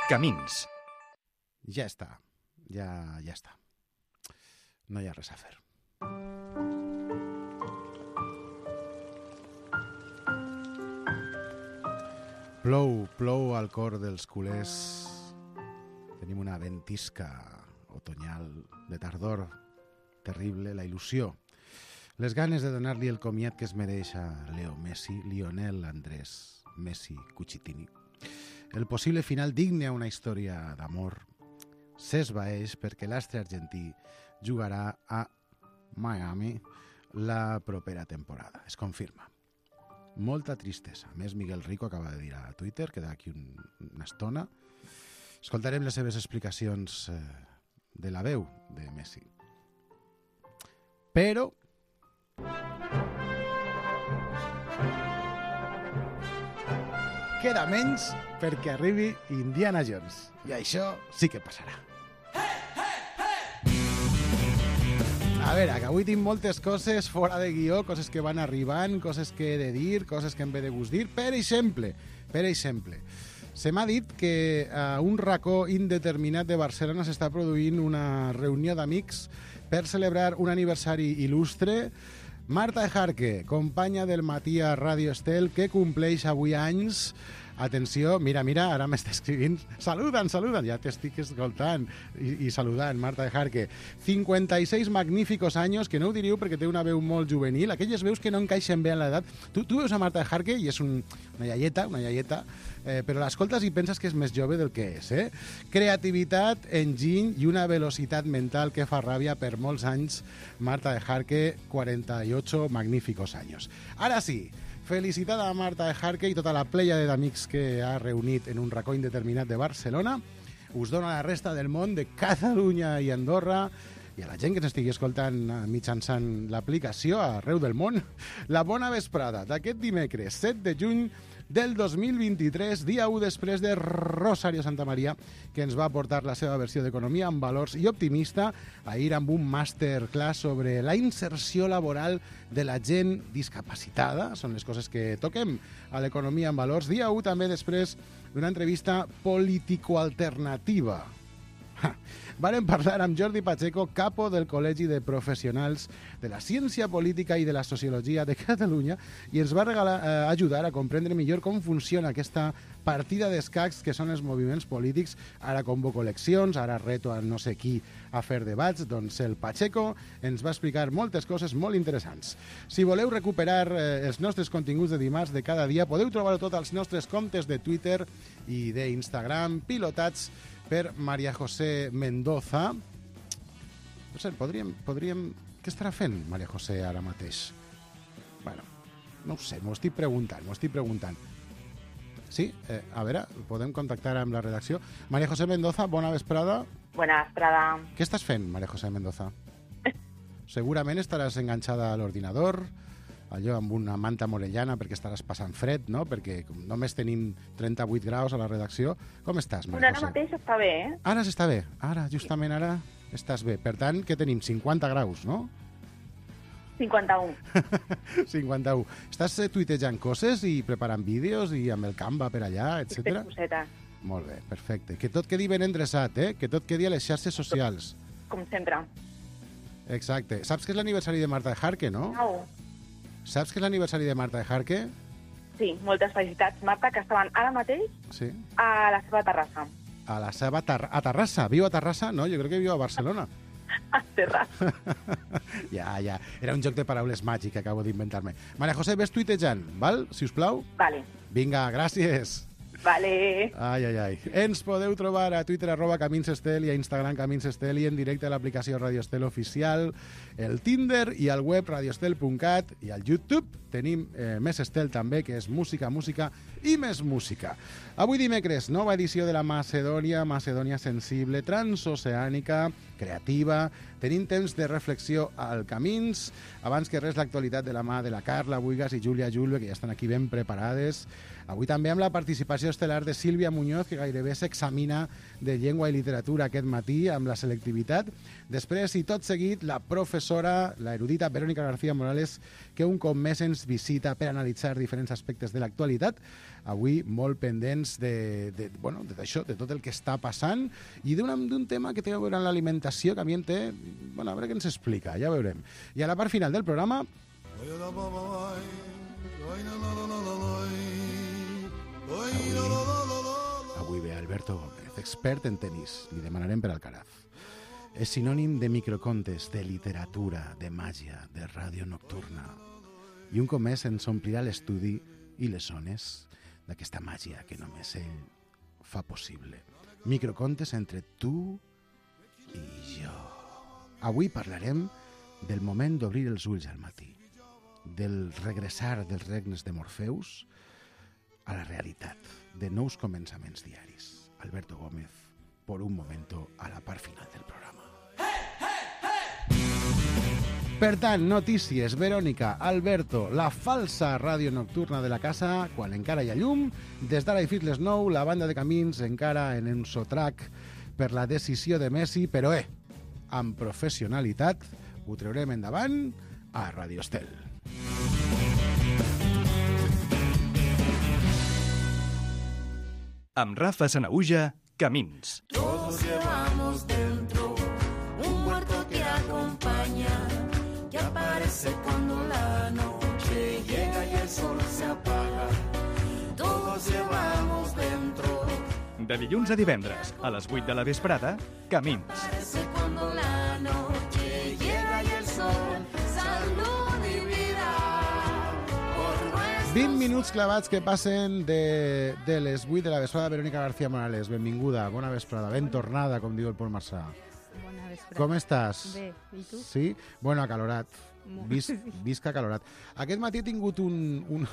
Camins. Ja està. Ja està. No hi ha res a fer. Plou al cor dels culers. Tenim una ventisca otonyal de tardor terrible, la il·lusió. Les ganes de donar-li el comiat que es mereix a Leo Messi, Lionel Andrés Messi Cucitini. El possible final digne a una història d'amor s'esvaeix perquè l'astre argentí jugarà a Miami la propera temporada. Es confirma. Molta tristesa. A més, Miguel Rico acaba de dir a Twitter que d'aquí una estona escoltarem les seves explicacions de la veu de Messi. Però queda menys perquè arribi Indiana Jones. I això sí que passarà. A veure, que avui tinc moltes coses fora de guió, coses que van arribant, coses que he de dir, coses que em ve de gust dir. Per exemple, se m'ha dit que a un racó indeterminat de Barcelona s'està produint una reunió d'amics per celebrar un aniversari il·lustre. Marta Ejarque, companya del matí a Ràdio Estel, que compleix avui anys. Atenció, mira, ara m'està escrivint. Saluden, ja t'estic escoltant i saludant, Marta Ejarque. 56 magníficos años, que no ho diríeu perquè té una veu molt juvenil, aquelles veus que no encaixen bé en l'edat. Tu veus a Marta Ejarque i és una iaieta, però l'escoltes i penses que és més jove del que és. Creativitat, enginy i una velocitat mental que fa ràbia per molts anys. Marta Ejarque, 48 magníficos años. Ara sí, felicitada a Marta Ejarque i tota la pléiade d'amics que ha reunit en un racó indeterminat de Barcelona. Us dono a la resta del món, de Catalunya i Andorra, i a la gent que s'estigui escoltant mitjançant l'aplicació arreu del món, la bona vesprada d'aquest dimecres 7 de juny del 2023, dia 1 després de Rosario Santamaría, que ens va aportar la seva versió d'Economia amb valors i optimista, ahir amb un masterclass sobre la inserció laboral de la gent discapacitada. Són les coses que toquem a l'Economia amb valors. Dia 1 també després d'una entrevista político-alternativa. Varen parlar amb Jordi Pacheco, capo del Col·legi de Professionals de la Ciència Política i de la Sociologia de Catalunya, i ens va ajudar a comprendre millor com funciona aquesta partida d'escacs que són els moviments polítics. Ara convoco eleccions, ara reto a no sé qui a fer debats. Doncs el Pacheco ens va explicar moltes coses molt interessants. Si voleu recuperar els nostres continguts de dimarts de cada dia, podeu trobar-ho tot als nostres comptes de Twitter i d'Instagram, pilotats per María José Mendoza. No sé, podríem... Què estarà fent María José ara mateix? Bueno, no ho sé, m'ho estic preguntant. Sí, a veure, podem contactar amb la redacció. María José Mendoza, bona vesprada. Bona vesprada. Què estàs fent, María José Mendoza? Segurament estaràs enganxada a l'ordinador, allò amb una manta morellana perquè estaràs passant fred, no? Perquè només tenim 38 graus a la redacció. Com estàs, María José? Ara mateix està bé, Ara s'està bé. Justament ara estàs bé. Per tant, què tenim? 50 graus, no? 51. 51. Estàs tuitejant coses i preparant vídeos i amb el Canva per allà, etc. Molt bé, perfecte. Que tot quedi ben endreçat, que tot quedi a les xarxes socials. Com sempre. Exacte. Saps que és l'aniversari de Marta Ejarque, no? No. Saps que és l'aniversari de Marta Ejarque? Sí, moltes felicitats, Marta, que estaven ara mateix a la seva terrassa. A Terrassa? Viu a Terrassa? No, jo crec que viu a Barcelona. A Terrassa. Ja. Era un joc de paraules màgic que acabo d'inventar-me. María José, ves tuitejant, val? Si us plau? Vale. Vinga, gràcies. Vale. Ai. Ens podeu trobar a Twitter @CaminsEstel i a Instagram CaminsEstel i en directe a l'aplicació Radio Estel Oficial, el Tinder i al web radioestel.cat i al YouTube. Tenim més Estel també, que és música i més música. Avui dimecres, nova edició de la Macedònia sensible, transoceànica, creativa. Tenim temps de reflexió al Camins. Abans que res, l'actualitat de la mà de la Carla Buigas i Júlia Julve, que ja estan aquí ben preparades. Avui també amb la participació sessió estel·lar de Sílvia Muñoz, que gairebé s'examina de llengua i literatura aquest matí amb la selectivitat. Després, i tot seguit, la professora, la erudita Verónica García Morales, que un cop més ens visita per analitzar diferents aspectes de l'actualitat. Avui molt pendents d'això, de tot el que està passant i d'un tema que té a veure amb l'alimentació, que a mi em té... Bueno, a veure què ens explica, ja veurem. I a la part final del programa... Avui ve Alberto Gómez, expert en tenis. Li demanarem per Alcaraz. És sinònim de microcontes, de literatura, de màgia, de ràdio nocturna. I un cop més ens omplirà l'estudi i les zones d'aquesta màgia que només ell fa possible. Microcontes entre tu i jo. Avui parlarem del moment d'obrir els ulls al matí, del regressar dels regnes de Morfeus a la realitat, de nous començaments diaris. Alberto Gómez, por un momento, a la part final del programa. Per tant, notícies, Verònica, Alberto, la falsa ràdio nocturna de la casa, quan encara hi ha llum. Des d'ara i fins les 9, la banda de Camins encara en un sotrac per la decisió de Messi, però amb professionalitat ho treurem endavant a Radio Estel. Amb Rafa Sanahuja, Camins. Todos llevamos dentro un muerto que acompaña, que aparece cuando la noche llega y el sol se apaga. Todos llevamos dentro. De dilluns a divendres, a les 8 de la vesprada, Camins. Aparece cuando la noche llega y el sol, salud y vida. Por nuestro 20 minuts clavats que passen de les 8 de la vesprada. Verónica García Morales, benvinguda, bona vesprada, ben tornada, com diu el Pol Marçà. Bona vesprada. Com estàs? Bé, i tu? Sí? Bueno, acalorat. Visc acalorat. Aquest matí he tingut un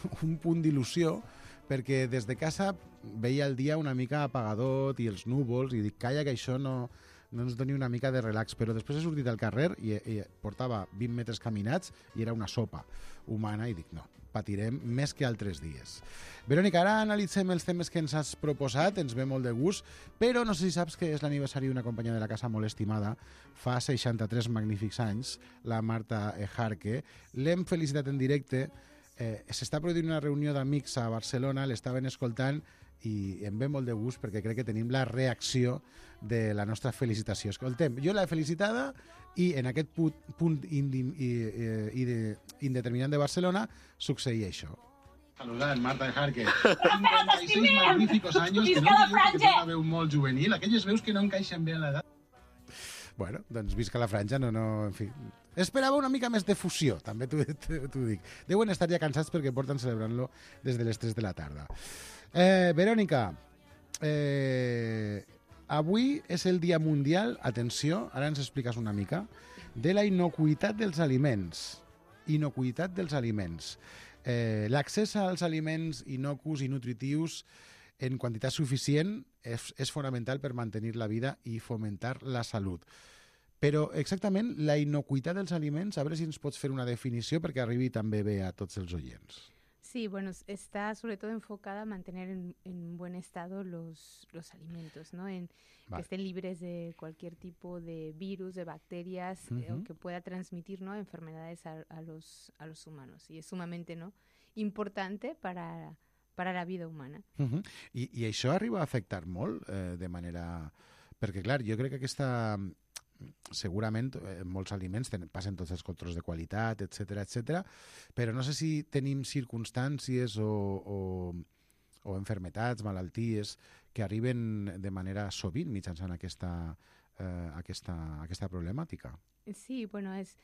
punt d'il·lusió perquè des de casa veia el dia una mica apagadot i els núvols i dic, calla, que això no ens doni una mica de relax, però després he sortit al carrer i portava 20 metres caminats i era una sopa humana i dic, no, patirem més que altres dies. Verònica, ara analitzem els temes que ens has proposat, ens ve molt de gust, però no sé si saps que és l'aniversari d'una companya de la casa molt estimada, fa 63 magnífics anys, la Marta Ejarque. L'hem felicitat en directe, s'està produint una reunió d'amics a Barcelona, l'estaven escoltant i em ve molt de gust perquè crec que tenim la reacció de la nostra felicitació. Escoltem, jo l'he felicitada i en aquest punt indeterminant de Barcelona succeïa això. Saludant, Marta Ejarque. 56 magníficos años, que no diu que té una veu molt juvenil, aquelles veus que no encaixen bé en l'edat. Bueno, doncs visca la franja, en fi. Esperava una mica més de fusió, també t'ho dic. Deuen estar ja cansats perquè porten celebrant-lo des de les 3 de la tarda. Verònica, avui és el Dia Mundial, atenció, ara ens expliques una mica, de la innocuïtat dels aliments. Innocuïtat dels aliments. L'accés als aliments innocus i nutritius en quantitat suficient és fonamental per mantenir la vida i fomentar la salut. Però exactament la innocuïtat dels aliments, a veure si ens pots fer una definició perquè arribi també bé a tots els oients. Sí, bueno, está sobre todo enfocada a mantener en buen estado los alimentos, ¿no? Que estén libres de cualquier tipo de virus, de bacterias, o que pueda transmitir, ¿no?, enfermedades a los humanos. Y es sumamente, ¿no?, importante para la vida humana. I això arriba a afectar molt de manera... Perquè, clar, jo crec que aquesta... Segurament molts aliments passen tots els controls de qualitat, etc, però no sé si tenim circumstàncies o enfermetats, malalties que arriben de manera sovint mitjançant aquesta problemàtica. Sí, bueno, es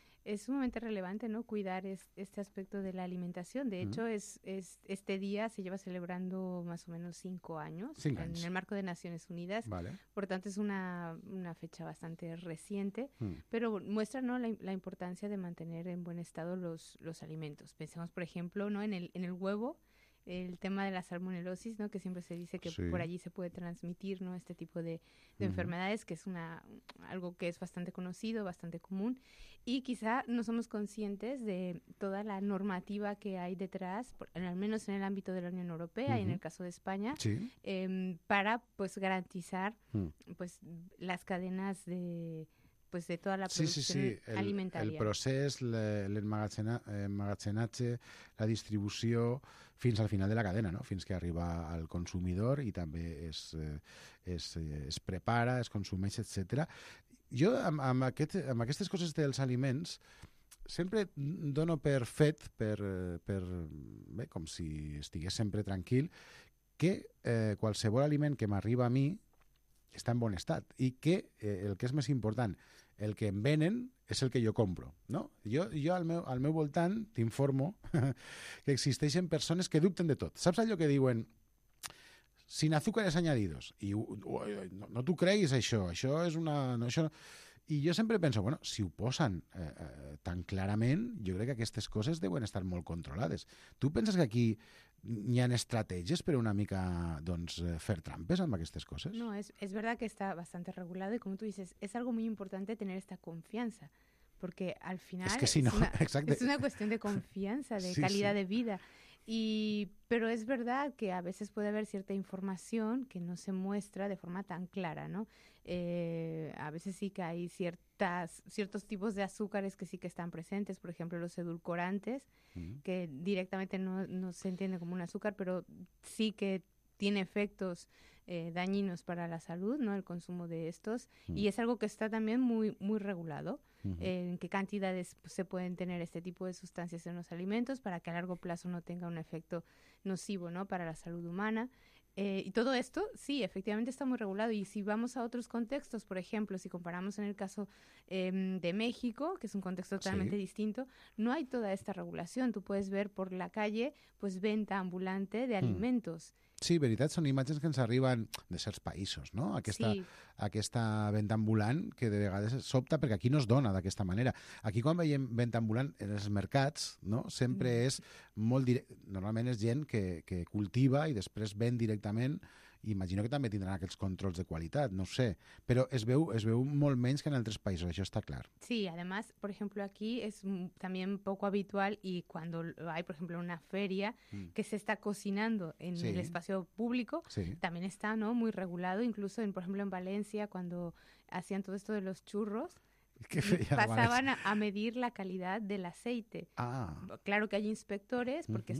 sumamente relevante, ¿no?, cuidar este aspecto de la alimentación. De hecho, este día se lleva celebrando más o menos 5 años en el marco de Naciones Unidas. Vale. Por tanto, es una fecha bastante reciente, pero muestra, ¿no?, la importancia de mantener en buen estado los alimentos. Pensemos, por ejemplo, ¿no?, en el huevo. el tema de la salmonelosis, ¿no? Que siempre se dice que por allí se puede transmitir, ¿no? Este tipo de enfermedades, que es algo que es bastante conocido, bastante común, y quizá no somos conscientes de toda la normativa que hay detrás, al menos en el ámbito de la Unión Europea y en el caso de España, para pues garantizar pues las cadenas de toda la producción alimentaria. El procés, l'emmagatzenatge, la distribució, fins al final de la cadena, no? Fins que arriba al consumidor i també es prepara, es consumeix, etc. Jo, amb aquestes coses dels aliments, sempre dono per fet, bé, com si estigués sempre tranquil, que qualsevol aliment que m'arriba a mi està en bon estat i que el que és més important, el que em venen és el que jo compro, no? Jo al meu voltant t'informo que existeixen persones que dubten de tot. Saps allò que diuen sin azúcares añadidos? I no t'ho creguis, això és una... No, això... I jo sempre penso, bueno, si ho posen tan clarament, jo crec que aquestes coses deuen estar molt controlades. Tu penses que aquí hi ha estratègies per una mica fer trampes amb aquestes cosas? No, es verdad que está bastante regulado y como tú dices, es algo muy importante tener esta confianza, porque al final es que si no, es una cuestión de confianza, de calidad de vida. Pero es verdad que a veces puede haber cierta información que no se muestra de forma tan clara, ¿no? A veces sí que hay ciertos tipos de azúcares que sí que están presentes, por ejemplo los edulcorantes, que directamente no se entiende como un azúcar, pero sí que tiene efectos dañinos para la salud, ¿no? El consumo de estos, y es algo que está también muy, muy regulado. En qué cantidades se pueden tener este tipo de sustancias en los alimentos para que a largo plazo no tenga un efecto nocivo, ¿no? Para la salud humana. Y todo esto, sí, efectivamente está muy regulado. Y si vamos a otros contextos, por ejemplo, si comparamos en el caso de México, que es un contexto totalmente distinto, no hay toda esta regulación. Tú puedes ver por la calle pues venta ambulante de alimentos. Sí, veritat, són imatges que ens arriben de certs països, no? Aquesta venda ambulant que de vegades sobta perquè aquí no es dona d'aquesta manera. Aquí quan veiem venda ambulant en els mercats, no? Sempre és molt normalment és gent que cultiva i després ven directament. Imagino que també tindran aquests controls de qualitat, no sé, pero es veu molt menys que en altres països, això está claro. Sí, además, por ejemplo, aquí es también poco habitual y cuando hay, por ejemplo, una feria que se está cocinando en el espacio público, también está, ¿no? Muy regulado, incluso, por ejemplo, en Valencia, cuando hacían todo esto de los churros, pasaban a medir la calidad del aceite. Claro que hay inspectores, porque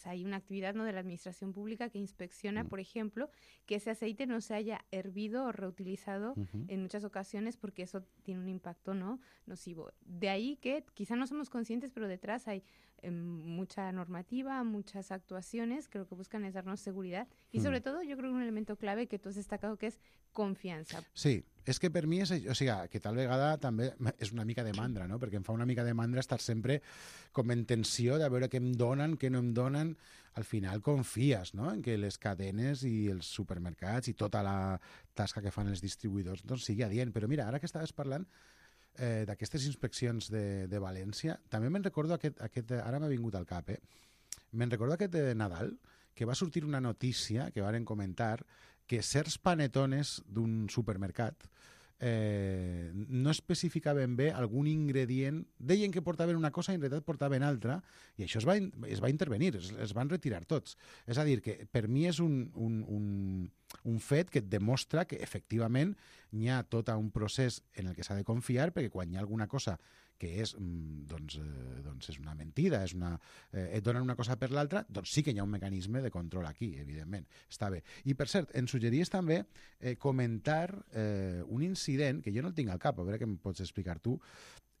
hay una actividad, ¿no? de la administración pública que inspecciona, por ejemplo, que ese aceite no se haya hervido o reutilizado en muchas ocasiones, porque eso tiene un impacto, ¿no? nocivo. De ahí que quizá no somos conscientes, pero detrás hay mucha normativa, muchas actuaciones que lo que buscan es darnos seguridad y sobre todo yo creo que un elemento clave que tú has destacado que es confiança. Sí, és que per mi és, o sigui, que tal vegada també és una mica de mandra, no? Perquè em fa una mica de mandra estar sempre com en tensió de veure què em donen, què no em donen. Al final confies, no?, en que les cadenes i els supermercats i tota la tasca que fan els distribuïdors doncs sigui adient. Però mira, ara que estaves parlant d'aquestes inspeccions de València, també me'n recordo ara m'ha vingut al cap, me'n recordo aquest Nadal, que va sortir una notícia que varen comentar que certs panetones d'un supermercat no especificaven bé algun ingredient, deien que portaven una cosa i en realitat portaven altra, i això es va intervenir, es van retirar tots. És a dir, que per mi és un fet que et demostra que efectivament hi ha tot un procés en el que s'ha de confiar, perquè quan hi ha alguna cosa que és, doncs és una mentida, et donen una cosa per l'altra, doncs sí que hi ha un mecanisme de control aquí, evidentment. Està bé. I, per cert, em suggeries també comentar un incident, que jo no el tinc al cap, a veure què em pots explicar tu,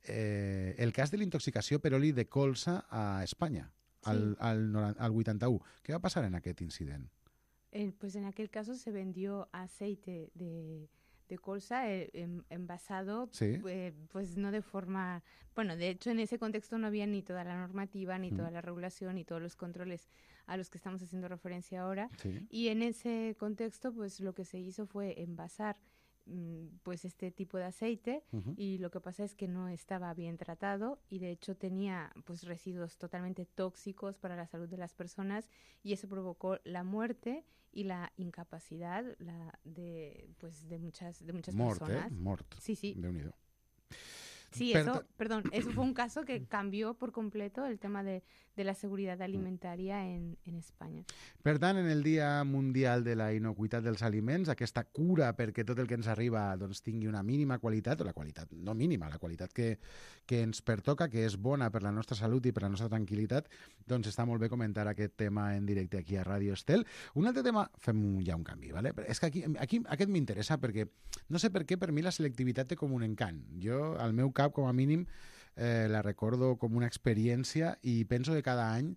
el cas de l'intoxicació per oli de colza a Espanya, al 81. Què va passar en aquest incident? Pues en aquel caso se vendió aceite de colza envasado, pues no de forma... Bueno, de hecho en ese contexto no había ni toda la normativa, ni toda la regulación, ni todos los controles a los que estamos haciendo referencia ahora. Y en ese contexto, pues lo que se hizo fue envasar pues este tipo de aceite y lo que pasa es que no estaba bien tratado y de hecho tenía pues residuos totalmente tóxicos para la salud de las personas y eso provocó la muerte y la incapacidad de muchas personas. Mort. Sí. Déu-n'hi-do. Sí, eso fue un caso que cambió por completo el tema de la seguridad alimentaria en Espanya. Per tant, en el Dia Mundial de la Inocuïtat dels Aliments, aquesta cura perquè tot el que ens arriba doncs, tingui una mínima qualitat, o la qualitat no mínima, la qualitat que ens pertoca, que és bona per la nostra salut i per la nostra tranquil·litat, doncs està molt bé comentar aquest tema en directe aquí a Ràdio Estel. Un altre tema, fem ja un canvi, ¿vale? És que aquí aquest m'interessa perquè, no sé per què, per mi la selectivitat té com un encant. Jo, al meu cap, com a mínim, la recordo com una experiència i penso que cada any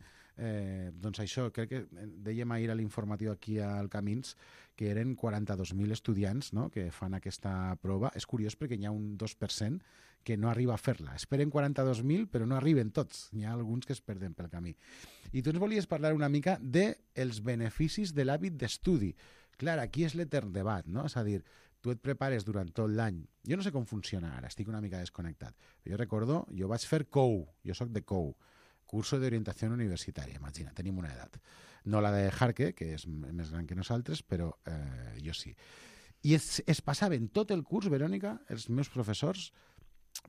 doncs això, crec que dèiem ahir a l'informatiu aquí al Camins que eren 42.000 estudiants, no?, que fan aquesta prova. És curiós perquè hi ha un 2% que no arriba a fer-la. Esperen 42.000 però no arriben tots. Hi ha alguns que es perden pel camí. I tu ens volies parlar una mica dels beneficis de l'hàbit d'estudi. Clar, aquí és l'etern debat, no? És a dir, tu et prepares durant tot l'any. Jo no sé com funciona ara, estic una mica desconnectat. Jo recordo, jo vaig fer COU, jo sóc de COU, Curso de Orientació Universitària, imagina, tenim una edat. No la de Jarque, que és més gran que nosaltres, però jo sí. I es passaven tot el curs, Verònica, els meus professors,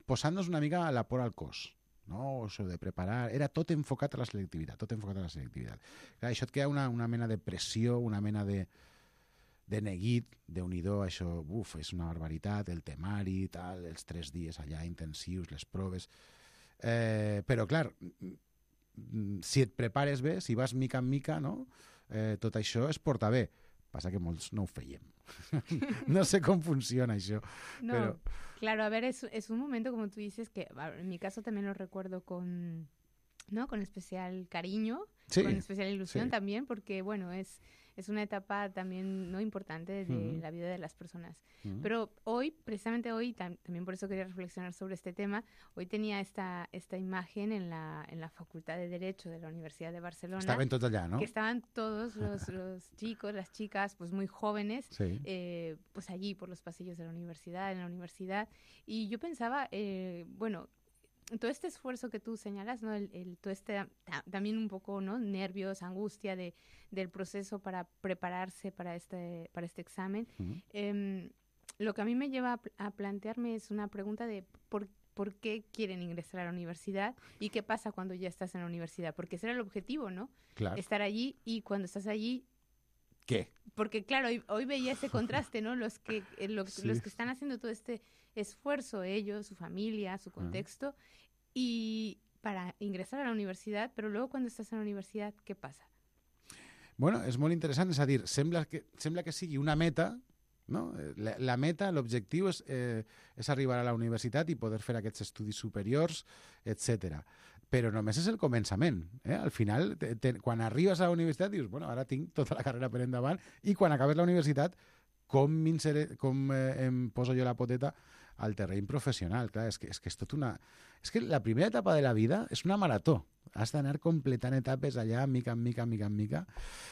posant-nos una mica la por al cos. No, això de preparar, era tot enfocat a la selectivitat, tot enfocat a la selectivitat. Clar, això et crea una mena de pressió, una mena de neguit, Déu-n'hi-do, això, és una barbaritat, el temari, tal, els 3 dies allà intensius, les proves. Però, clar, si et prepares bé, si vas mica en mica, no? Tot això es porta bé. Passa que molts no ho fèiem. No sé com funciona això. No, pero... claro, a ver, es un momento, como tú dices, que en mi caso también lo recuerdo con especial cariño, sí, con especial ilusión, sí, también, porque, bueno, es una etapa también no importante de la vida de las personas. Pero hoy, precisamente hoy, también por eso quería reflexionar sobre este tema, hoy tenía esta imagen en la Facultad de Derecho de la Universidad de Barcelona. Estaban todos allá, ¿no? Que estaban todos los chicos, las chicas, pues muy jóvenes, sí, pues allí por los pasillos de la universidad, en la universidad. Y yo pensaba, bueno, todo este esfuerzo que tú señalas, ¿no? Todo este también un poco, ¿no?, nervios, angustia del proceso para prepararse para este examen. Lo que a mí me lleva a plantearme es una pregunta de por qué quieren ingresar a la universidad y qué pasa cuando ya estás en la universidad, porque ese era el objetivo, ¿no? Claro. Estar allí, y cuando estás allí, ¿qué? Porque claro, hoy veía ese contraste, ¿no? Los que están haciendo todo este esfuerzo, ellos, su familia, su contexto, y para ingresar a la universidad, però luego cuando estàs en la universitat, què passa? Bueno, és molt interessant, és a dir, sembla que sigui una meta, no? La meta, l'objectiu és arribar a la universitat i poder fer aquests estudis superiors, etc. Però només és el començament. Al final, quan arribes a la universitat, dius, bueno, ara tinc tota la carrera per endavant, i quan acabes la universitat, com em poso jo la poteta al terreny professional. Clar, és que és tot una... És que la primera etapa de la vida és una marató. Has d'anar completant etapes allà, mica en mica.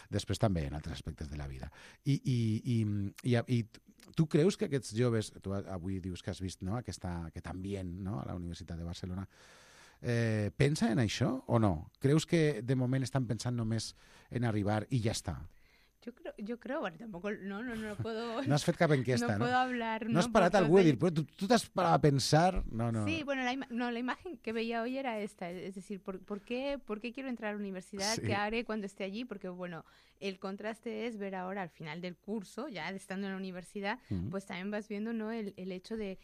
Després també en altres aspectes de la vida. I tu creus que aquests joves, tu avui dius que has vist, no?, aquest ambient, no?, a la Universitat de Barcelona, pensa en això o no? Creus que de moment estan pensant només en arribar i ja està? Yo creo, bueno, tampoco, no puedo... No has fet cap enquesta, ¿no? No puedo hablar... No has parat algú a dir, però tu t'has parat a pensar... No. Sí, bueno, la imagen que veía hoy era esta, es decir, ¿por qué quiero entrar a la universidad? Sí. ¿Qué haré cuando esté allí? Porque, bueno, el contraste es ver ahora al final del curso, ya estando en la universidad, pues también vas viendo, ¿no?, el hecho de,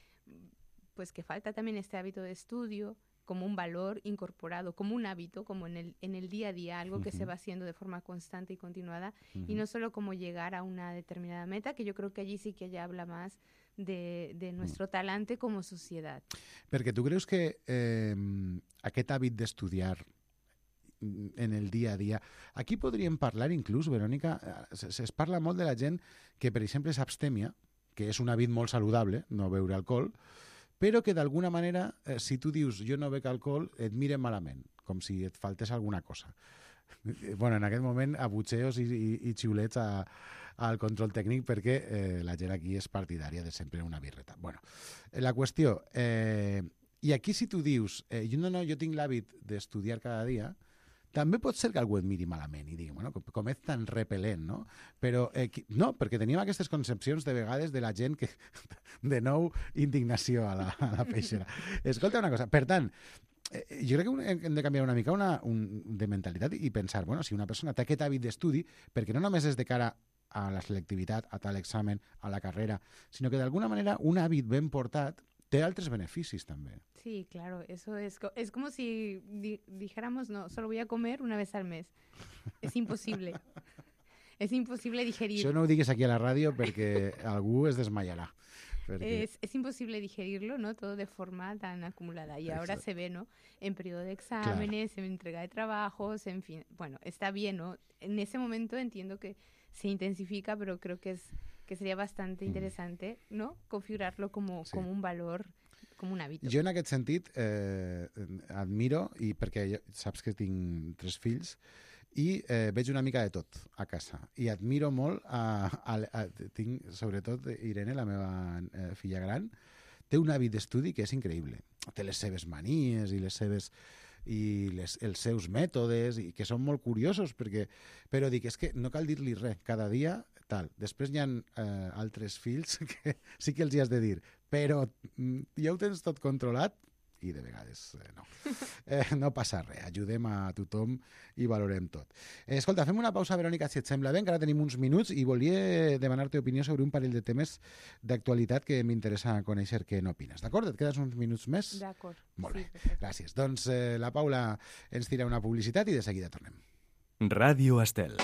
pues que falta también este hábito de estudio, como un valor incorporado, como un hábito, como en el día a día, algo que se va haciendo de forma constante y continuada, y no solo como llegar a una determinada meta, que yo creo que allí sí que ya habla más de nuestro talante como societat. Perquè tu creus que aquest hàbit d'estudiar en el dia a dia... Aquí podríem parlar inclús, Verònica, es parla molt de la gent que, per exemple, és abstèmia, que és un hàbit molt saludable, no beure alcohol, però que d'alguna manera, si tu dius jo no bec alcohol, et miren malament, com si et faltés alguna cosa. Bueno, en aquest moment, abutxeos i xiulets al control tècnic perquè la gent aquí és partidària de sempre una birreta. Bueno, la qüestió... I aquí si tu dius, jo tinc l'hàbit d'estudiar cada dia, també pot ser que algú et miri malament i digui, bueno, com és tan repel·lent, no? Però no, perquè tenim aquestes concepcions de vegades de la gent que, de nou, indignació a la peixera. Escolta una cosa, per tant, jo crec que hem de canviar una mica de mentalitat i pensar, bueno, si una persona té aquest hàbit d'estudi, perquè no només és de cara a la selectivitat, a tal examen, a la carrera, sinó que d'alguna manera un hàbit ben portat té altres beneficis també. Sí, claro, eso es como si dijéramos, no, solo voy a comer una vez al mes. Es imposible. Es imposible digerir. Això no ho digues aquí a la ràdio perquè algú es desmayarà. Perquè... Es imposible digerirlo, ¿no? Todo de forma tan acumulada. Y ahora se ve, ¿no? En periodo de exámenes, en entrega de trabajos, en fin. Bueno, está bien, ¿no? En ese momento entiendo que se intensifica, pero creo que sería bastante interesante, ¿no? Configurarlo como un valor, com un hàbit. Jo en aquest sentit admiro, i perquè saps que tinc 3 fills, i veig una mica de tot a casa. I admiro molt, tinc sobretot Irene, la meva filla gran, té un hàbit d'estudi que és increïble. Té les seves manies i els seus mètodes, i que són molt curiosos, però dic, és que no cal dir-li res, cada dia tal. Després hi ha altres fills que sí que els hi has de dir, però ja ho tens tot controlat, i de vegades no. No passa res, ajudem a tothom i valorem tot. Escolta, fem una pausa, Verònica, si et sembla bé, encara tenim uns minuts i volia demanar-te opinió sobre un parell de temes d'actualitat que m'interessa conèixer què n'opines. D'acord? Et quedes uns minuts més? D'acord. Molt bé, gràcies. Doncs la Paula ens tira una publicitat i de seguida tornem. Ràdio Estel.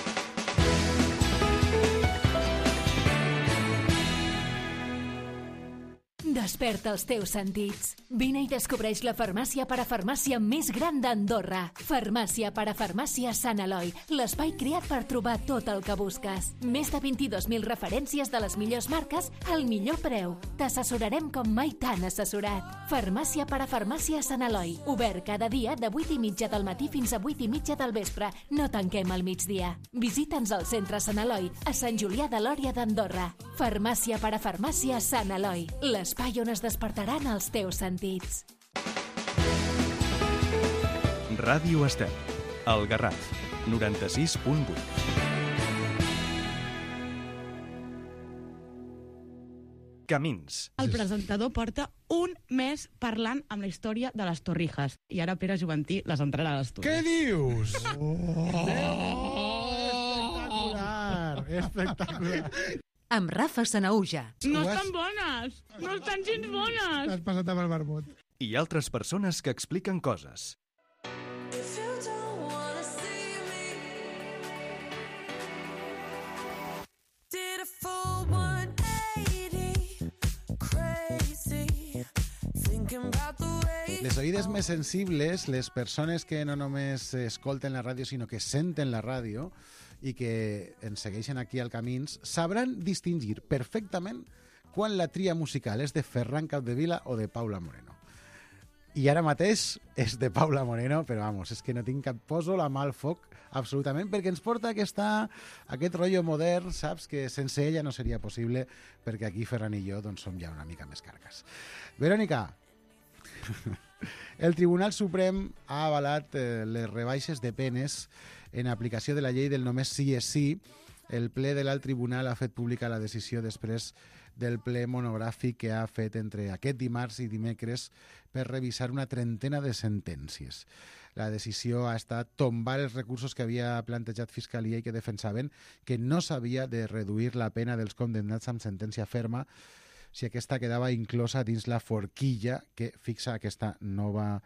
Desperta els teus sentits. Vine i descobreix la farmàcia parafarmàcia més gran d'Andorra. Farmàcia parafarmàcia Sant Eloi, l'espai creat per trobar tot el que busques. Més de 22.000 referències de les millors marques al millor preu. T'assessorarem com mai t'han assessorat. Farmàcia parafarmàcia Sant Eloi. Obert cada dia de 8:30 del matí fins a 8:30 del vespre. No tanquem al migdia. Visita'ns al centre Sant Eloi, a Sant Julià de Lòria d'Andorra. Farmàcia parafarmàcia Sant Eloi, l'espai on es despertaran els teus sentits. Ràdio Estel, El Garraf, 96.8. Camins. El presentador porta un mes parlant amb la història de les Torrijas i ara Pere Juventí les entrarà a l'estudi. Què dius? Espectacular! Espectacular! Amb Rafa Sanaúja. No estan bones! No estan gens bones! T'has passat amb el vermut. I altres persones que expliquen coses. Les oïdes més sensibles, les persones que no només escolten la ràdio, sinó que senten la ràdio i que ens segueixen aquí al Camins, sabran distingir perfectament quan la tria musical és de Ferran Capdevila o de Paula Moreno. I ara mateix és de Paula Moreno, però vamos, és que no tinc cap... Poso la mà al foc, absolutament, perquè ens porta aquest rotllo modern, saps? Que sense ella no seria possible, perquè aquí Ferran i jo doncs, som ja una mica més carques. Verònica, el Tribunal Suprem ha avalat les rebaixes de penes en aplicació de la llei del només sí és sí. El ple de l'Alt Tribunal ha fet pública la decisió després del ple monogràfic que ha fet entre aquest dimarts i dimecres per revisar una trentena de sentències. La decisió ha estat tombar els recursos que havia plantejat Fiscalia i que defensaven que no s'havia de reduir la pena dels condemnats amb sentència ferma si aquesta quedava inclosa dins la forquilla que fixa aquesta nova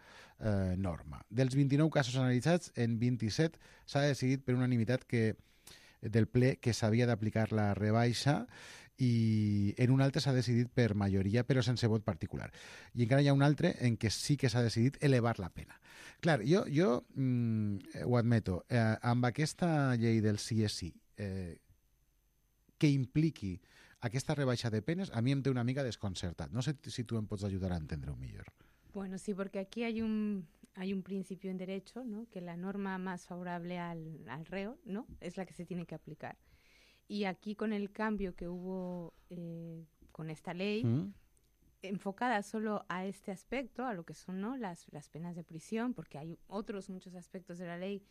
norma. Dels 29 casos analitzats, en 27 s'ha decidit per unanimitat del ple que s'havia d'aplicar la rebaixa i en un altre s'ha decidit per majoria però sense vot particular. I encara hi ha un altre en què sí que s'ha decidit elevar la pena. Clar, jo ho admeto, amb aquesta llei del sí és sí, que impliqui aquesta rebaixa de penes, a mi em té una mica desconcertat. No sé si tu em pots ajudar a entendre-ho millor. Bueno, sí, porque aquí hay hay un principio en derecho, ¿no? Que la norma más favorable al reo, ¿no? Es la que se tiene que aplicar. Y aquí con el cambio que hubo con esta ley, enfocada solo a este aspecto, a lo que son, ¿no? las penas de prisión, porque hay otros muchos aspectos de la ley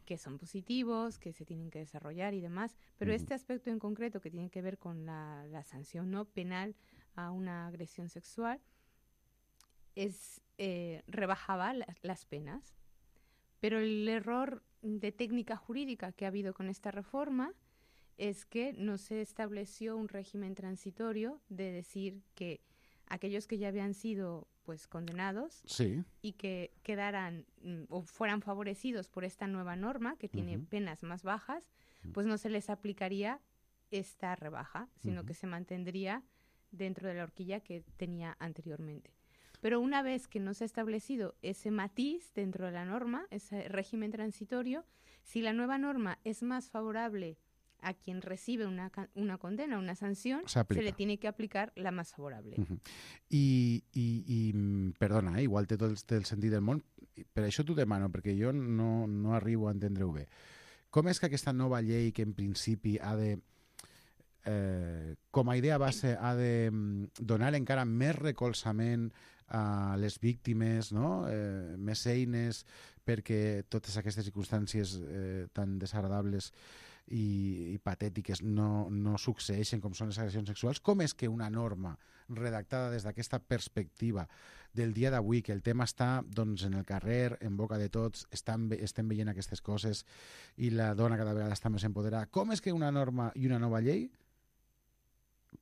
que son positivos, que se tienen que desarrollar y demás, pero este aspecto en concreto que tiene que ver con la sanción no penal a una agresión sexual rebajaba las penas. Pero el error de técnica jurídica que ha habido con esta reforma es que no se estableció un régimen transitorio de decir que aquellos que ya habían sido pues condenados y que quedaran o fueran favorecidos por esta nueva norma que tiene penas más bajas, pues no se les aplicaría esta rebaja, sino que se mantendría dentro de la horquilla que tenía anteriormente. Pero una vez que no se ha establecido ese matiz dentro de la norma, ese régimen transitorio, si la nueva norma es más favorable a quien recibe una condena, una sanción, se le tiene que aplicar la más favorable. I perdona, igual té tot el sentit del món, per això t'ho demano, perquè jo no arribo a entendre-ho bé. Com és que aquesta nova llei, que en principi ha de, com a idea base, ha de donar encara més recolzament a les víctimes, no? Més eines perquè totes aquestes circumstàncies tan desagradables i patètiques no succeeixen com són les agressions sexuals? Com és que una norma redactada des d'aquesta perspectiva del dia d'avui, que el tema està doncs, en el carrer, en boca de tots, estem veient aquestes coses i la dona cada vegada està més empoderada, com és que una norma i una nova llei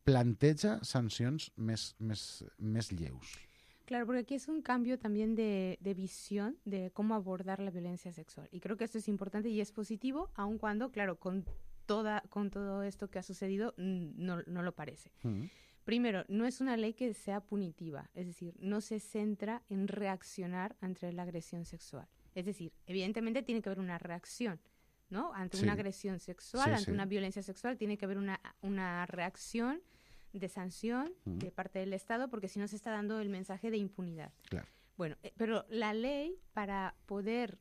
planteja sancions més lleus? Claro, porque aquí es un cambio también de visión de cómo abordar la violencia sexual. Y creo que esto es importante y es positivo, aun cuando, claro, con todo esto que ha sucedido no lo parece. Primero, no es una ley que sea punitiva, es decir, no se centra en reaccionar ante la agresión sexual. Es decir, evidentemente tiene que haber una reacción, ¿no? Ante una agresión sexual, ante una violencia sexual, tiene que haber una reacción de sanción de parte del Estado, porque si no se está dando el mensaje de impunidad. Claro. Bueno, pero la ley, para poder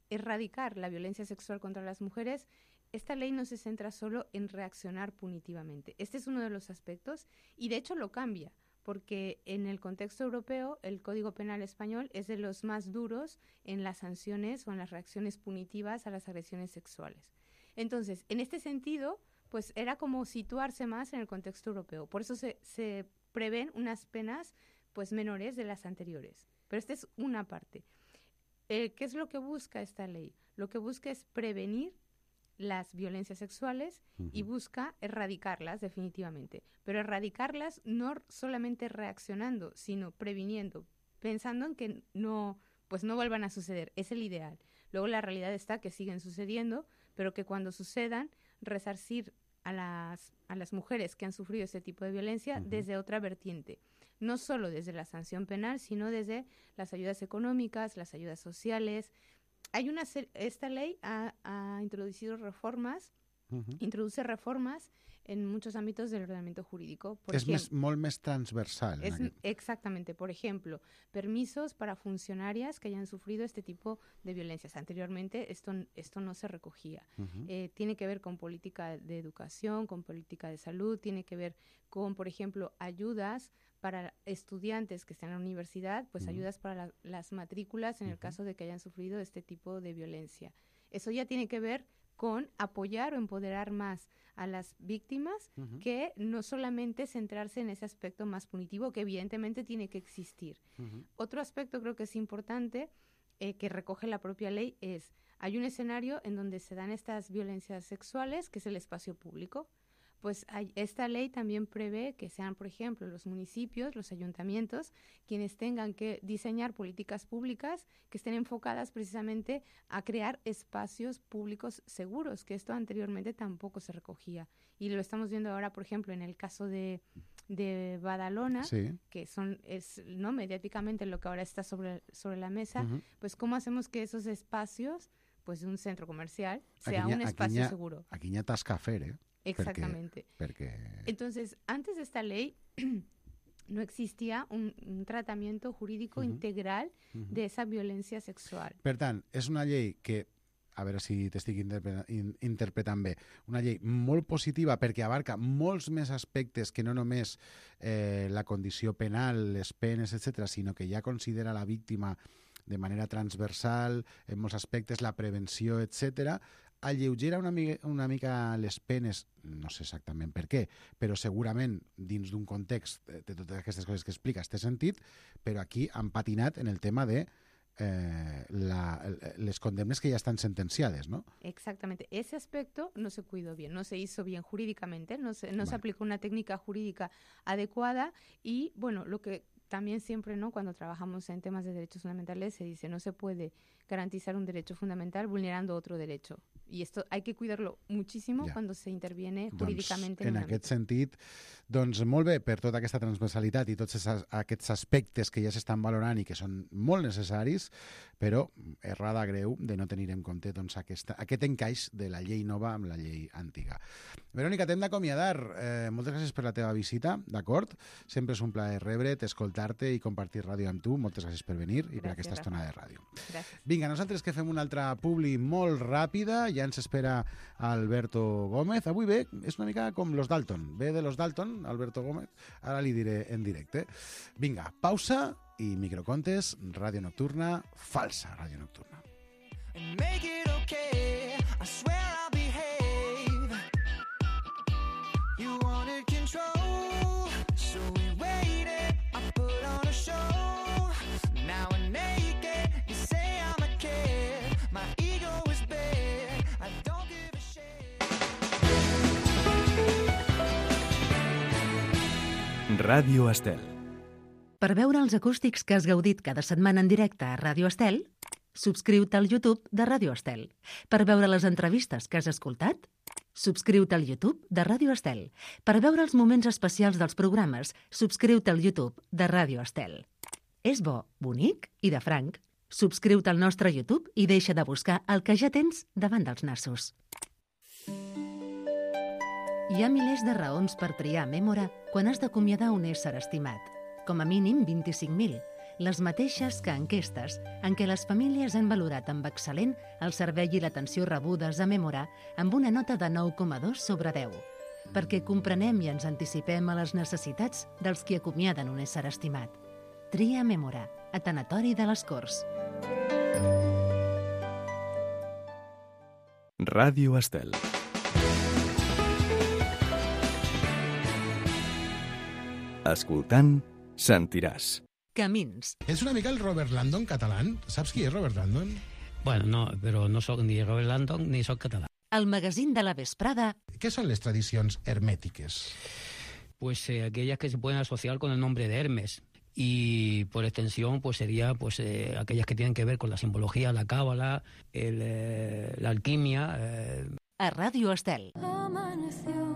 erradicar la violencia sexual contra las mujeres, esta ley no se centra solo en reaccionar punitivamente. Este es uno de los aspectos y de hecho lo cambia, porque en el contexto europeo el Código Penal español es de los más duros en las sanciones o en las reacciones punitivas a las agresiones sexuales. Entonces, en este sentido, pues era como situarse más en el contexto europeo. Por eso se prevén unas penas pues menores de las anteriores. Pero esta es una parte. ¿Qué es lo que busca esta ley? Lo que busca es prevenir las violencias sexuales y busca erradicarlas definitivamente. Pero erradicarlas no solamente reaccionando, sino previniendo, pensando en que no vuelvan a suceder. Es el ideal. Luego la realidad está que siguen sucediendo, pero que cuando sucedan, resarcir a las mujeres que han sufrido este tipo de violencia desde otra vertiente. No solo desde la sanción penal, sino desde las ayudas económicas, las ayudas sociales. Esta ley ha introducido reformas, introduce reformas en muchos ámbitos del ordenamiento jurídico. Es molt més transversal. Exactamente. Por ejemplo, permisos para funcionarias que hayan sufrido este tipo de violencias. Anteriormente esto no se recogía. Tiene que ver con política de educación, con política de salud, tiene que ver con, por ejemplo, ayudas para estudiantes que están en la universidad, pues ayudas para las matrículas en el caso de que hayan sufrido este tipo de violencia. Eso ya tiene que ver con apoyar o empoderar más a las víctimas que no solamente centrarse en ese aspecto más punitivo que evidentemente tiene que existir. Otro aspecto creo que es importante que recoge la propia ley hay un escenario en donde se dan estas violencias sexuales que es el espacio público. Pues esta ley también prevé que sean, por ejemplo, los municipios, los ayuntamientos, quienes tengan que diseñar políticas públicas que estén enfocadas precisamente a crear espacios públicos seguros, que esto anteriormente tampoco se recogía. Y lo estamos viendo ahora, por ejemplo, en el caso de Badalona, que es mediáticamente lo que ahora está sobre la mesa, pues cómo hacemos que esos espacios, pues de un centro comercial, sea un espacio seguro. Aquí n'hi ha tasca a fer, Exactamente. Porque... Entonces, antes de esta ley, no existía un tratamiento jurídico integral de esa violencia sexual. Per tant, és una llei que, a veure si t'estic interpretant bé, una llei molt positiva perquè abarca molts més aspectes que no només la condició penal, les penes, etc., sinó que ja considera la víctima de manera transversal, en molts aspectes, la prevenció, etc., alleugera una mica les penes, no sé exactament per què, però segurament dins d'un context de totes aquestes coses que expliques té sentit, però aquí han patinat en el tema de les condemnes que ya están sentenciadas, ¿no? Exactamente. Ese aspecto no se cuidó bien, no se hizo bien jurídicamente, no se aplicó una técnica jurídica adecuada y, bueno, lo que también siempre, ¿no?, cuando trabajamos en temas de derechos fundamentales se dice no se puede garantizar un derecho fundamental vulnerando otro derecho. Y esto hay que cuidarlo muchísimo cuando se interviene jurídicamente. En aquest sentit, doncs molt bé per tota aquesta transversalitat i tots aquests aspectes que ja s'estan valorant i que són molt necessaris, però errada greu de no tenir en compte doncs, aquest encaix de la llei nova amb la llei antiga. Verònica, t'hem d'acomiadar. Moltes gràcies per la teva visita, d'acord? Sempre és un plaer rebre't, escoltar-te i compartir ràdio amb tu. Moltes gràcies per venir i per aquesta estona de ràdio. Gràcies. Vinga, nosaltres que fem una altra publi molt ràpida, ja ens espera Alberto Gómez. Avui ve, és una mica com los Dalton. Ve de los Dalton, Alberto Gómez. Ara li diré en directe. Vinga, pausa i microcontes, ràdio nocturna, falsa ràdio nocturna. Make it okay, I swear I'll behave. You wanted control, so we waited. I put on a show, now we're naked. You say I'm a kid, my ego is big. I don't give a shit. Ràdio Estel. Per veure els acústics que has gaudit cada setmana en directe a Ràdio Estel, subscriu-te al YouTube de Ràdio Estel. Per veure les entrevistes que has escoltat, subscriu-te al YouTube de Ràdio Estel. Per veure els moments especials dels programes, subscriu-te al YouTube de Ràdio Estel. És bo, bonic i de franc. Subscriu-te al nostre YouTube i deixa de buscar el que ja tens davant dels nassos. Hi ha milers de raons per triar Mémora quan has d'acomiadar un ésser estimat. Com a mínim 25.000, les mateixes que enquestes en què les famílies han valorat amb excel·lent el servei i l'atenció rebudes a Mémora amb una nota de 9,2 sobre 10, perquè comprenem i ens anticipem a les necessitats dels qui acomiaden un ésser estimat. Tria Mémora, a Tanatori de les Corts. Ràdio Estel. Escoltant, sentiràs. Camins. És una mica el Robert Landon català. Saps qui és Robert Landon? Bueno, no, però no soc ni Robert Landon ni soc català. El magazín de la vesprada. Què són les tradicions hermétiques? Pues aquellas que se pueden asociar con el nombre de Hermes. Y por extensión pues sería pues aquellas que tienen que ver con la simbología, la cábala, la alquimia. A Ràdio Estel. Amaneció,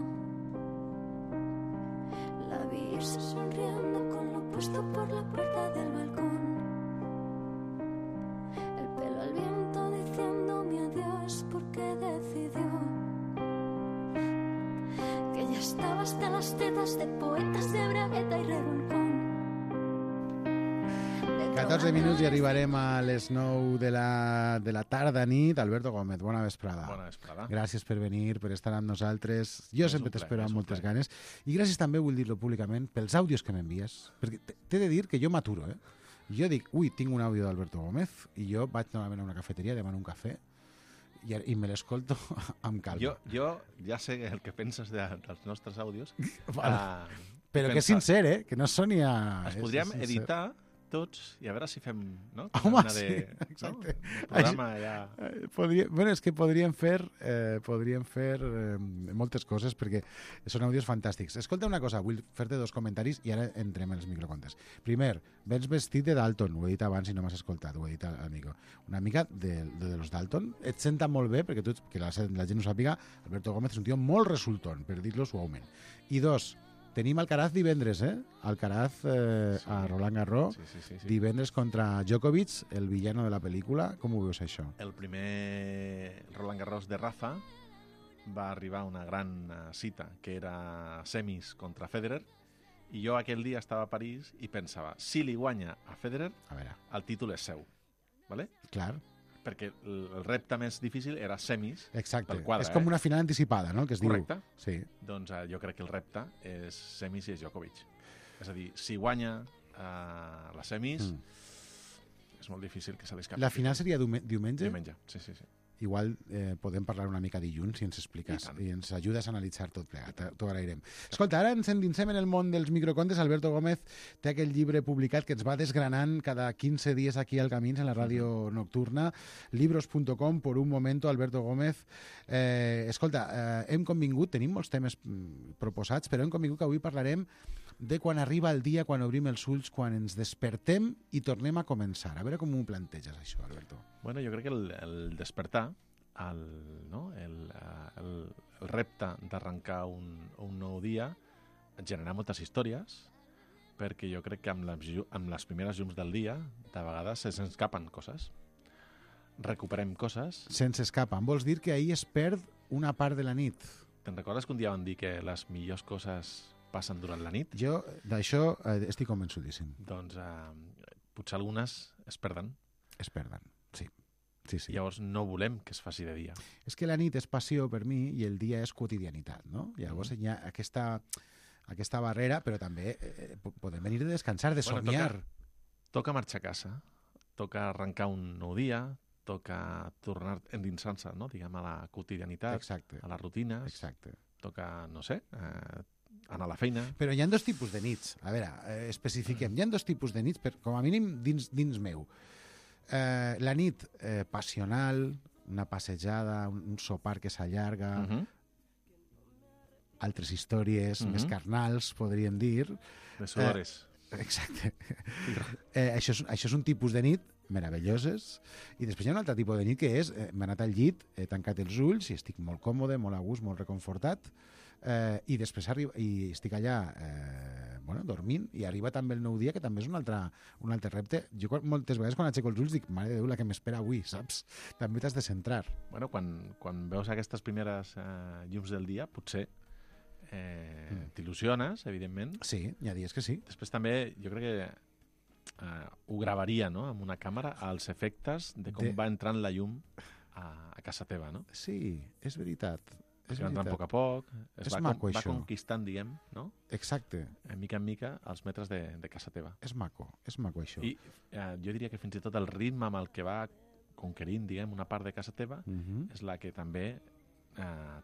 la vi sonriendo con lo puesto por la puerta del balcón. El pelo al viento diciéndome adiós porque decidió que ya estaba hasta las tetas de poetas de bragueta y revolcón. 14 minuts i arribarem a les 9 de la tarda nit. Alberto Gómez, bona vesprada. Bona vesprada. Gràcies per venir, per estar amb nosaltres. Jo sempre t'espero amb moltes ganes. I gràcies també, vull dir-lo públicament, pels àudios que m'envies. Perquè t'he de dir que jo m'aturo, eh? Jo dic, ui, tinc un àudio d'Alberto Gómez i jo vaig normalment a una cafeteria, demano un cafè i me l'escolto amb calma. Jo ja sé el que penses dels nostres àudios. Però que és sincer, que no soni a... Els podríem editar tots i a veure si fem, no? Home, sí, exacte. El programa ja... Bueno, és que podríem fer moltes coses perquè són àudios fantàstics. Escolta una cosa, vull fer-te dos comentaris i ara entrem en els microcontes. Primer, vens vestit de Dalton, ho he dit abans i no m'has escoltat, ho he dit al micro. Una mica de los Dalton, et senta molt bé, perquè que la gent ho sàpiga, Alberto Gómez és un tio molt resultón, per dir-lo suaument. I dos, tenim Alcaraz divendres, Alcaraz a Roland Garros, sí. Divendres contra Djokovic, el villano de la pel·lícula. Com ho veus, això? El primer Roland Garros de Rafa va arribar a una gran cita, que era semis contra Federer, I jo aquell dia estava a París i pensava, si li guanya a Federer, el títol és seu. ¿Vale? Clar. Perquè el repte més difícil era semis. Exacte. Pel quadre, és com una final anticipada, no?, que es Correcte. diu. Sí. Doncs jo crec que el repte és semis i és Djokovic. És a dir, si guanya les semis, és molt difícil que se l'escapi. La final seria diumenge? Diumenge, sí. Igual podem parlar una mica dilluns si ens expliques i ens ajudes a analitzar tot plegat. T'ho agrairem. Escolta, ara ens endinsem en el món dels microcontes. Alberto Gómez té aquell llibre publicat que ens va desgranant cada 15 dies aquí al Camins, en la ràdio nocturna. Libros.com, por un momento, Alberto Gómez. Escolta, hem convingut, tenim molts temes proposats, però hem convingut que avui parlarem de quan arriba el dia, quan obrim els ulls, quan ens despertem i tornem a començar. A veure com ho planteges, això, Alberto. Bueno, jo crec que el despertar, el repte d'arrencar un nou dia, genera moltes històries, perquè jo crec que amb les primeres llums del dia, de vegades se'ns escapen coses. Recuperem coses. Se'ns escapen. Vols dir que ahir es perd una part de la nit? Te'n recordes que un dia van dir que les millors coses passen durant la nit? Jo d'això estic convençudíssim. Doncs potser algunes es perden. Es perden, sí. Llavors no volem que es faci de dia. És que la nit és passió per mi i el dia és quotidianitat, no? Llavors hi ha aquesta barrera, però també podem venir de descansar, de somiar. Toca marxar a casa, toca arrencar un nou dia, toca tornar endinsant-se, no?, diguem, a la quotidianitat, exacte, a les rutines. Exacte. Toca, no sé, anar a la feina. Però hi ha dos tipus de nits. A veure, especifiquem. Hi ha dos tipus de nits, com a mínim dins meu. La nit passional, una passejada, un sopar que s'allarga, altres històries més carnals, podríem dir. De sudores. Exacte. Això és un tipus de nit meravelloses, i després hi ha un altre tipus de nit que és m'he anat al llit, he tancat els ulls i estic molt còmode, molt a gust, molt reconfortat, i després estic allà dormint, i arriba també el nou dia, que també és un altre repte. Jo moltes vegades quan aixeco els ulls dic, mare de Déu, la que m'espera avui, saps? També t'has de centrar. Bueno, quan veus aquestes primeres llums del dia, potser t'il·lusiones, evidentment. Sí, hi ha dies que sí. Després també jo crec que ho gravaria, no?, amb una càmera, als efectes de com va entrant la llum a casa teva, no? Sí, és veritat. Es va entrant a poc a poc, va conquistant, diguem, no? Exacte. Mica en mica, els metres de casa teva. És maco això. I jo diria que fins i tot el ritme amb el que va conquerint, diguem, una part de casa teva, és la que també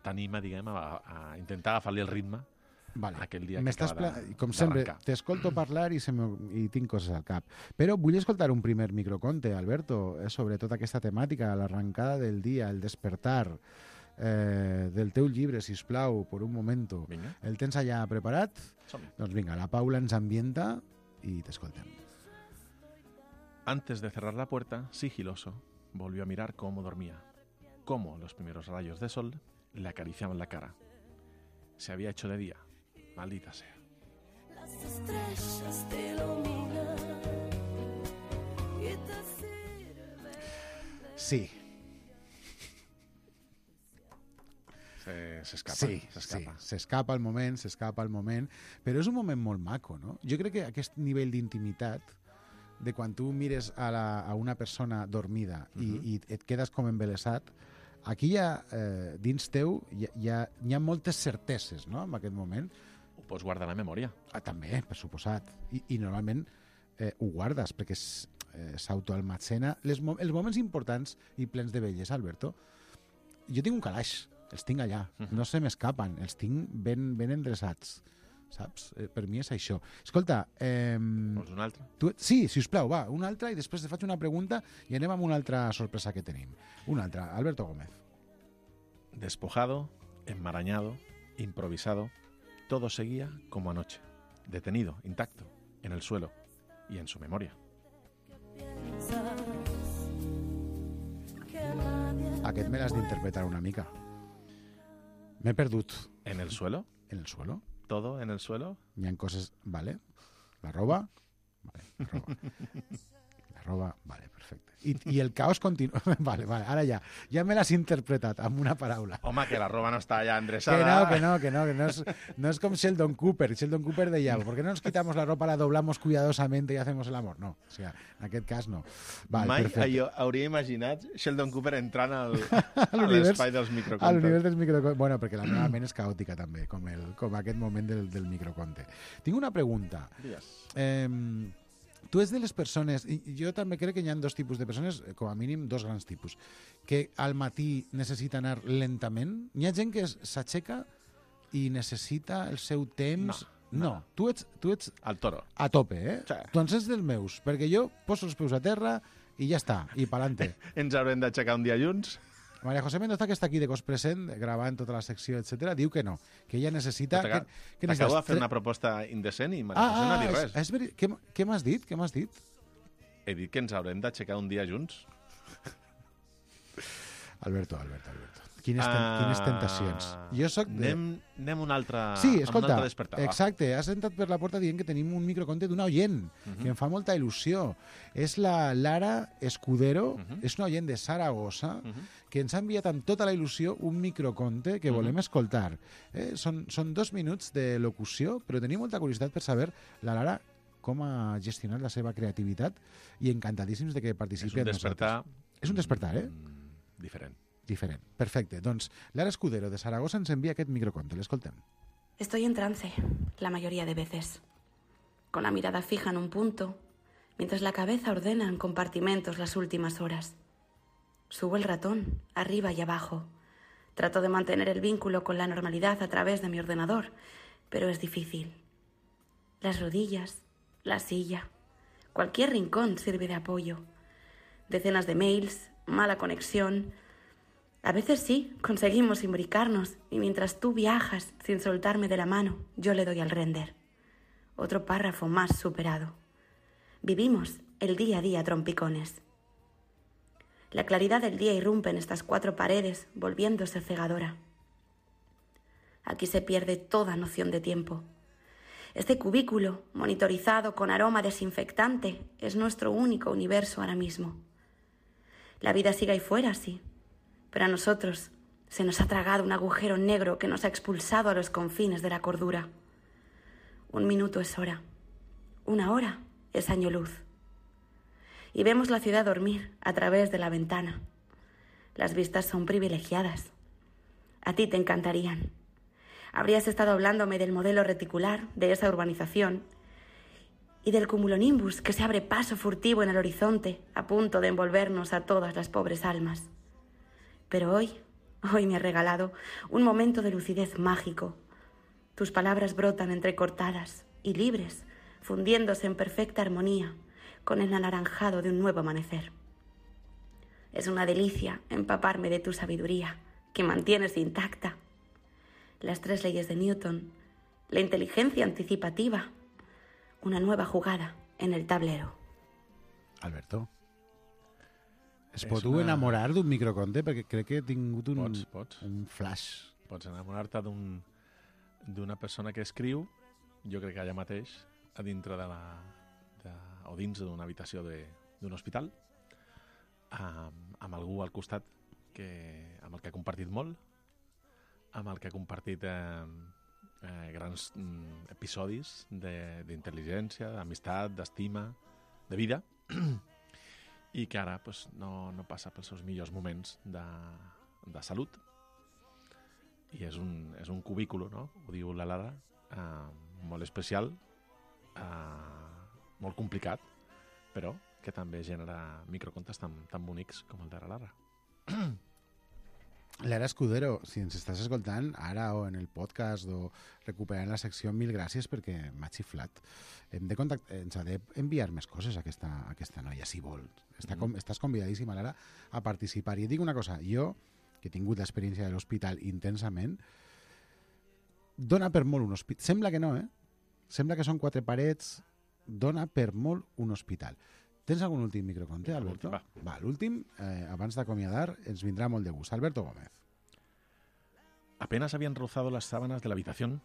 t'anima, diguem, a intentar agafar-li el ritme aquell dia que acaba d'arrencar. Com sempre, t'escolto parlar i tinc coses al cap. Però vull escoltar un primer microconte, Alberto, sobre tota aquesta temàtica, l'arrencada del dia, el despertar, del teu llibre, sisplau, por un momento. Vinga. El tens allà preparat? Som-hi. Doncs vinga, la Paula ens ambienta i t'escoltem. Antes de cerrar la puerta, sigiloso, volvió a mirar cómo dormía, cómo los primeros rayos de sol le acariciaban la cara. Se había hecho de día, maldita sea. Las estrellas te iluminan y te sirven. Sí. S'escapa. Sí, s'escapa el moment, però és un moment molt maco, no? Jo crec que aquest nivell d'intimitat, de quan tu mires a una persona dormida i et quedes com embelesat, aquí dins teu hi ha moltes certeses, no?, en aquest moment. Ho pots guardar a la memòria. També, per suposat. I normalment ho guardes, perquè s'autoalmacena. Els moments importants i plens de bellesa, Alberto, jo tinc un calaix, els tinc allà, no se m'escapen, els tinc ben endreçats, saps? Per mi és això. Escolta... Vols un altre? Sí, sisplau, va, un altre, i després te faig una pregunta i anem amb una altra sorpresa que tenim. Una altra, Alberto Gómez. Despojado, enmarañado, improvisado, todo seguía como anoche, detenido, intacto, en el suelo y en su memoria. Aquest me l'has d'interpretar una mica. M'he perdut. ¿En el suelo? ¿En el suelo? ¿Todo en el suelo? Hi ha coses... Vale. ¿La roba? Vale, la roba. La roba... Vale, perfecte. I el caos continua... Vale, ara ja me l'has interpretat amb una paraula. Home, que la roba no està ja endreçada. Que no es com Sheldon Cooper. Sheldon Cooper deia, ¿por qué no nos quitamos la ropa, la doblamos cuidadosamente y hacemos el amor? No, o sigui, en aquest cas no. Vale, mai perfecte. hauria imaginat Sheldon Cooper entrant a l'espai dels microcontes. A l'univers dels microcontes. Bueno, perquè la meva ment és caòtica també, com aquest moment del microconte. Tinc una pregunta. Tu ets de les persones, i jo també crec que hi ha dos tipus de persones, com a mínim dos grans tipus, que al matí necessita anar lentament. Hi ha gent que s'aixeca i necessita el seu temps... No. Tu ets al toro. A tope, eh? Sí. Doncs ets dels meus, perquè jo poso els peus a terra i ja està, i pa'lante. Ens haurem d'aixecar un dia junts? María José Mendoza, que està aquí de cos present, gravant tota la secció, etc, diu que no, que ella necessita... T'acabo de fer una proposta indecent i María José no ha dit res. És veritat. Què m'has dit? He dit que ens haurem d'aixecar un dia junts. Alberto. Quines tentacions. Jo soc de... Anem un altre, sí, escolta, un altre despertar. Exacte, has entrat per la porta dient que tenim un microconte d'una oient, que em fa molta il·lusió. És la Lara Escudero, és una oient de Saragossa, que ens ha enviat amb tota la il·lusió un microconte que volem escoltar. Són 2 minuts de locució, però tenim molta curiositat per saber la Lara com ha gestionat la seva creativitat i encantadíssims de que participi amb nosaltres. És un despertar, Diferent. Perfecte. Doncs Lara Escudero de Saragossa ens envia aquest microconte. L'escoltem. Estoy en trance, la mayoría de veces. Con la mirada fija en un punto, mientras la cabeza ordena en compartimentos las últimas horas. Subo el ratón, arriba y abajo. Trato de mantener el vínculo con la normalidad a través de mi ordenador, pero es difícil. Las rodillas, la silla, cualquier rincón sirve de apoyo. Decenas de mails, mala conexión. A veces sí, conseguimos imbricarnos y mientras tú viajas sin soltarme de la mano, yo le doy al render. Otro párrafo más superado. Vivimos el día a día a trompicones. La claridad del día irrumpe en estas 4 paredes, volviéndose cegadora. Aquí se pierde toda noción de tiempo. Este cubículo, monitorizado con aroma desinfectante, es nuestro único universo ahora mismo. La vida sigue ahí fuera, sí. Pero a nosotros se nos ha tragado un agujero negro que nos ha expulsado a los confines de la cordura. 1 minuto es hora. 1 hora es año luz. Y vemos la ciudad dormir a través de la ventana. Las vistas son privilegiadas. A ti te encantarían. Habrías estado hablándome del modelo reticular de esa urbanización y del cumulonimbus que se abre paso furtivo en el horizonte, a punto de envolvernos a todas las pobres almas. Pero hoy me has regalado un momento de lucidez mágico. Tus palabras brotan entrecortadas y libres, fundiéndose en perfecta armonía con el anaranjado de un nuevo amanecer. Es una delicia empaparme de tu sabiduría, que mantienes intacta. Las 3 leyes de Newton, la inteligencia anticipativa, una nueva jugada en el tablero. Alberto, es pot enamorar d'un microconte? Perquè crec que he tingut un flash. Pots enamorar-te d'una persona que escriu, jo crec que allà mateix, a dintre o dins d'una habitació d'un hospital, amb algú al costat amb el que ha compartit molt, amb el que ha compartit grans episodis d'intel·ligència, d'amistat, d'estima, de vida, i que ara no passa pels seus millors moments de salut. I és un cubículo, no? Ho diu la Lara, molt especial, molt complicat, però que també genera microcontes tan bonics com el de la Lara. Lara Escudero, si ens estàs escoltant ara o en el podcast o recuperant la secció, mil gràcies perquè m'ha xiflat. Ens ha d'enviar més coses a aquesta noia, si vol. Estàs convidadíssima, Lara, a participar. I et dic una cosa, jo, que he tingut l'experiència de l'hospital intensament, dona per molt un hospital. Sembla que no, Sembla que són 4 parets, dona per molt un hospital. Tens algun últim microconte, Alberto? Va, l'últim, abans d'acomiadar, ens vindrà molt de gust. Alberto Gómez. Apenas habían rozado las sábanas de la habitación,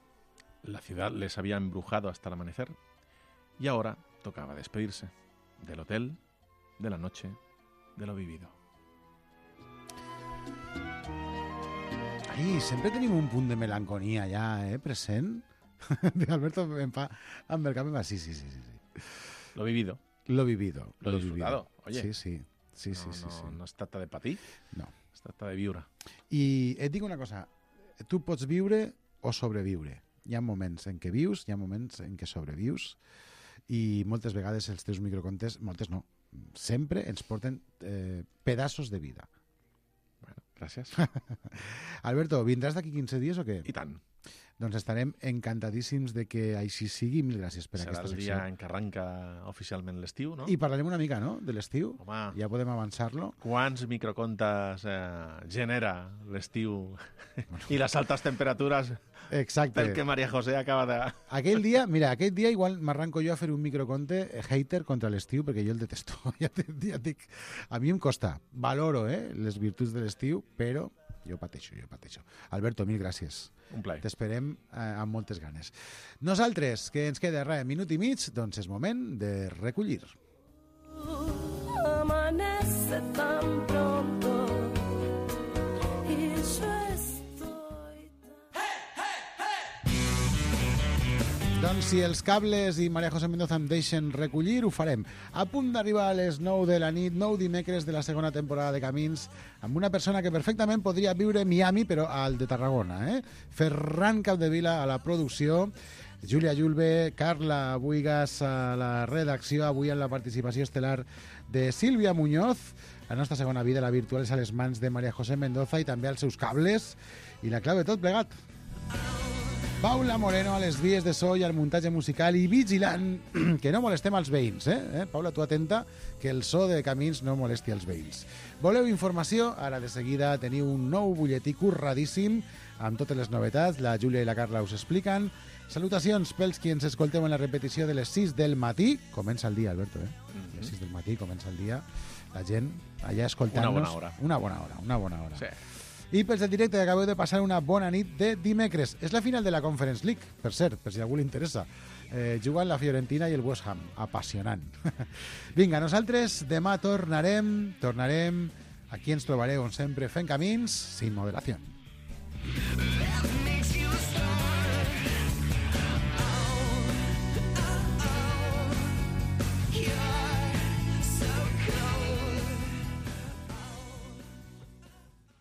la ciudad les había embrujado hasta el amanecer, y ahora tocaba despedirse del hotel de la noche, de lo vivido. Ai, sempre tenim un punt de melanconia ja, present. Alberto em fa... Amb el cap em va... Sí. Lo vivido. Lo vivido. Lo disfrutado, oye. Sí. No es tracta de patir, no. Es tracta de viure. I et dic una cosa, tu pots viure o sobreviure. Hi ha moments en què vius, hi ha moments en què sobrevius, i moltes vegades els teus microcontes, moltes no, sempre ens porten pedaços de vida. Bueno, gràcies. Alberto, vindràs d'aquí 15 dies o què? I tant. Doncs estarem encantadíssims de que així sigui. Mil gràcies per aquesta secció. Serà el dia en què arranca oficialment l'estiu, no? I parlarem una mica, no?, de l'estiu. Home, ja podem avançar-lo. Quants microcontes genera l'estiu i les altes temperatures? Exacte. Pel que María José acaba de... Aquell dia igual m'arranco jo a fer un microconte hater contra l'estiu, perquè jo el detesto. Ja et dic, a mi em costa. Valoro les virtuts de l'estiu, però jo pateixo. Alberto, mil gràcies. Un plaer. T'esperem amb moltes ganes. Nosaltres, que ens queda minut i mig, doncs és moment de recollir. Amanece tan pronto y yo estoy... Doncs si els cables i María José Mendoza em deixen recollir, ho farem. A punt d'arribar a les 9 de la nit, 9 dimecres de la segona temporada de Camins, amb una persona que perfectament podria viure a Miami, però al de Tarragona. Ferran Capdevila a la producció, Júlia Julve, Carla Buigas a la redacció, avui amb la participació estel·lar de Sílvia Muñoz. La nostra segona vida, la virtual, és a les mans de María José Mendoza i també als seus cables. I la clau de tot plegat, Paula Moreno a les vies de so i al muntatge musical i vigilant que no molestem als veïns. Paula, tu atenta que el so de Camins no molesti als veïns. Voleu informació? Ara de seguida teniu un nou butlletí curradíssim amb totes les novetats. La Júlia i la Carla us expliquen. Salutacions pels qui ens escolteu en la repetició de les 6 del matí. Comença el dia, Alberto, A les 6 del matí comença el dia. La gent allà escoltant-nos. Una bona hora. Sí. I pels del directe acabeu de passar una bona nit de dimecres. És la final de la Conference League, per cert, per si a algú li interessa. Juguen la Fiorentina i el West Ham. Apassionant. Vinga, nosaltres demà tornarem. Aquí ens trobareu, on sempre, fent camins sin moderació.